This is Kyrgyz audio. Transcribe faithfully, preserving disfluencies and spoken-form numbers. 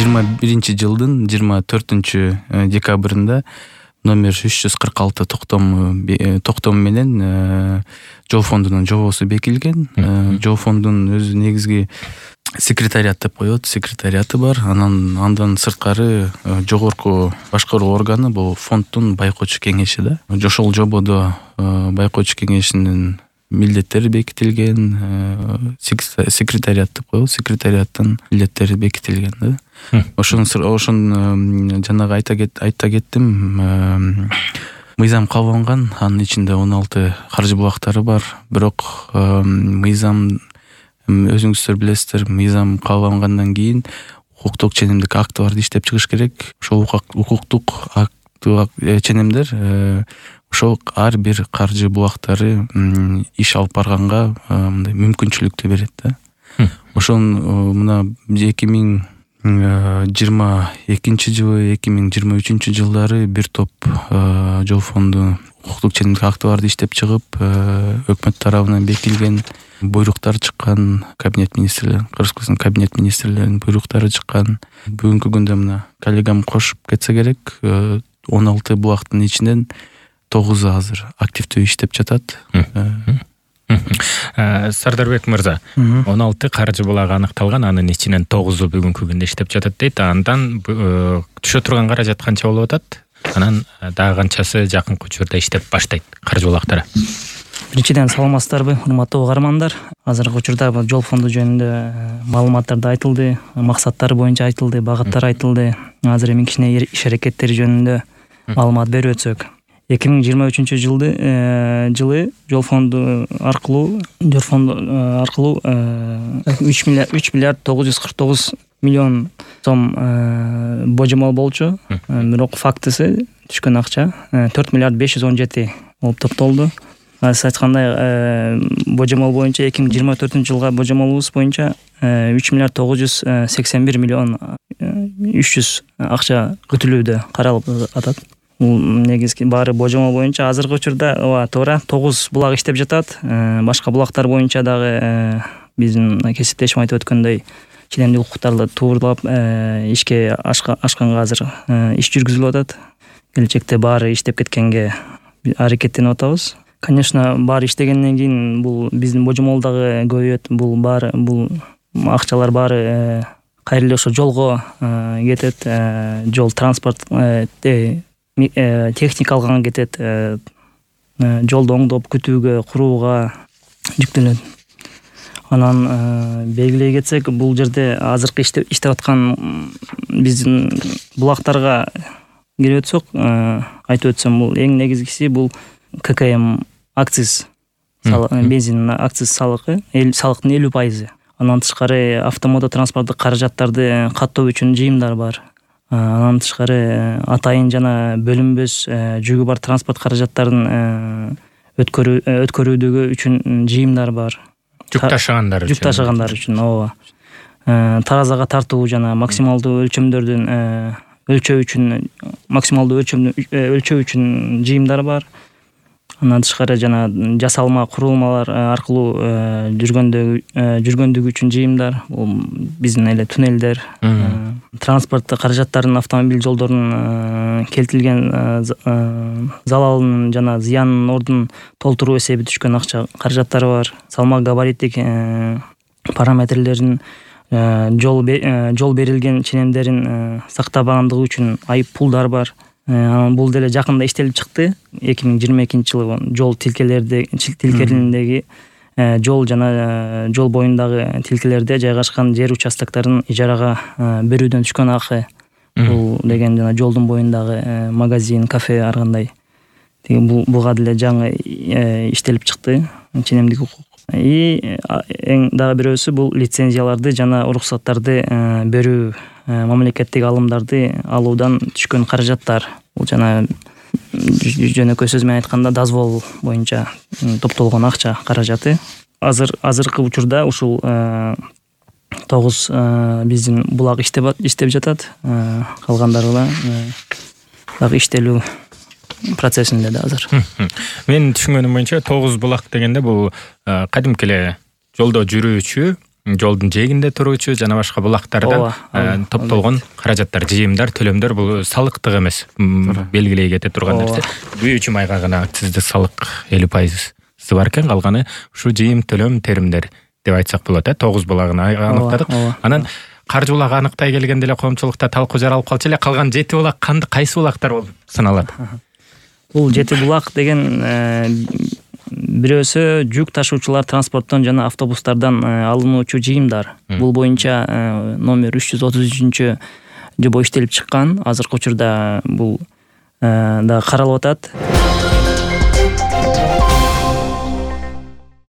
жыйырма биринчи жылдын жыйырма төртүнчү декабрында номер үч жүз кырк алты токтом токтом менен жол фондунун жобосу бекилген. Жол фондунун өзү негизги секретариат деп коет, секретариаты бар. Анан андан сырткары жогорку башкаруу органы бул фонддун байкоочу кеңеши да. Ошол жободо байкоочу кеңешинин милдеттери бекитилген, секретариат деп коебуз, секретариаттын милдеттери бекитилген да. Ошон ошон жанагы айта айта кеттим, мыйзам кабылган, анын ичинде он алты каржы булактары бар. Бирок мыйзам, өзүңүздөр билесиздер, мыйзам кабылгандан кийин укуктук ченемдик актыларды иштеп чыгыш керек. Ошол укуктук ченемдер ошол ар бир каржы булактары иш алып барганга мындай мүмкүнчүлүктү берет да. Ошон мына эки миң жыйырма экинчи жылы, эки миң жыйырма үчүнчү жылдары бир топ жол фонду укуктук ченемдик актыларды иштеп чыгып, өкмөт тарабынан бекилген буйруктар чыккан, кабинет министрлери, Кыргызстан кабинет министрлеринин буйруктары чыккан. Бүгүнкү күндө мына коллегам кошуп кетсе керек, он алты булактын ичинен тогузу азыр активдүү иштеп жатат. Сардарбек мырза, он алты каржы булагы аныкталган, анын ичинен тогузу бүгүнкү күндө иштеп жатат дейт. Андан түшө турган каражат канча болуп атат? Анан дагы канчасы жакынкы учурда иштеп баштайт каржы булактары? Биринчиден саламатсыздарбы, урматтуу угармандар. Азыркы учурда жол фонду жөнүндө маалыматтарды айтылды, максаттары боюнча айтылды, багыттары айтылды. Азыр эми кичине иш аракеттери жөнүндө маалымат берип өтсөк. эки миң жыйырма үчүнчү жылды жылы жол фонду аркылуу жол фонду аркылуу үч миллиард тогуз жүз кырк тогуз миллион сом божомол болчу. Бирок фактысы түшкөн акча төрт миллиард беш жүз он жети болуп топтолду. Сиз айткандай божомол боюнча эки миң жыйырма төртүнчү жылга божомолубуз боюнча үч миллиард тогуз жүз сексен бир миллион үч жүз акча күтүлүүдө каралып атат. Бул негизги баары божомол боюнча. Азыркы учурда ооба туура тогуз булак иштеп жатат. Башка булактар боюнча дагы биздин кесиптешим айтып өткөндөй ченемдик укуктарды туурлап ишке ашканга азыр иш жүргүзүлүп атат. Келечекте баары иштеп кеткенге аракеттенип атабыз. Конечно, баары иштегенден кийин бул биздин божомол дагы көбөйөт. Бул баары бул акчалар баары кайра эле ошо жолго кетет. Жол транспорт техника алганга кетет, жолду оңдоп күтүүгө, курууга жүктөлөт. Анан белгилей кетсек, бул жерде азыркы иштеп аткан биздин булактарга кирип өтсөк, айтып өтсөм, бул эң негизгиси бул ка ка эм акциз, бензин акциз салыгы, салыктын элүү пайызы. Андан тышкары автомото транспорттук каражаттарды каттоо үчүн жыйымдар бар. Андан тышкары атайын жана бөлүнбөс жүгү бар транспорт каражаттарын өткөрүүдөгү үчүн жыйымдар бар. Жүк ташыгандар үчүн. Жүк ташыгандар үчүн, ооба. Таразага тартуу жана максималдуу өлчөмдөрдүн өлчөө үчүн, максималдуу өлчөө үчүн жыйымдар бар. Андан тышкары жана жасалма курулмалар аркылуу жүргөндүгү үчүн жыйымдар, бул биздин эле туннелдер, транспорт каражаттарынын автомобиль жолдорунун келтирилген залалынын жана зыянынын ордун толтуруу эсеби түшкөн акча каражаттары бар. Салмак габариттик параметрлерин, жол жол берилген ченемдерин сактабагандыгы үчүн айып пулдар бар. Анан бул деле жакында иштелип чыкты. эки миң жыйырма экинчи жылы жол тилкелерди тилкелериндеги жол жана жол боюндагы тилкелерде жайгашкан жер участокторун ижарага берүүдөн түшкөн акы. Бул деген жана жолдун боюндагы магазин, кафе ар кандай. Буга деле жаңы иштелип чыкты ченемдик укук. И эң дагы бирөөсү бул лицензияларды жана уруксаттарды берүү, мамлекеттик алымдарды алуудан түшкөн каражаттар. Бул жана жөнөкөй сөз менен айтканда дозвол боюнча топтолгон акча каражаты. Азыр азыркы учурда ушул тогуз биздин булак иштеп иштеп жатат. Калгандары дагы иштелүү процессинде да азыр. Мен түшүнгөнүм боюнча тогуз булак дегенде бул кадимки эле жолдо жүрүүчү жолдун жээгинде туруучу жана башка булактардан топтолгон каражаттар, жыйымдар, төлөмдөр бул салыктык эмес, белгилей кете турган нерсе. Күйүүчү майга гана акциздик салык элүү пайыз бар экен, калганы ушу жыйым, төлөм, теримдер деп айтсак болот. Тогуз булагын аныктадык. Анан каржы булак аныктай келгенде эле коомчулукта талкуу жаралып калчу эле. Калган жети булак кайсы булактар болуп саналат? Бул жети булак деген бирөөсү жүк ташуучулар транспорттон жана автобустардан алынуучу жыйымдар. Бул боюнча номер үч жүз отуз үчүнчү жобо иштелип чыккан. Азыркы учурда бул да каралып атат.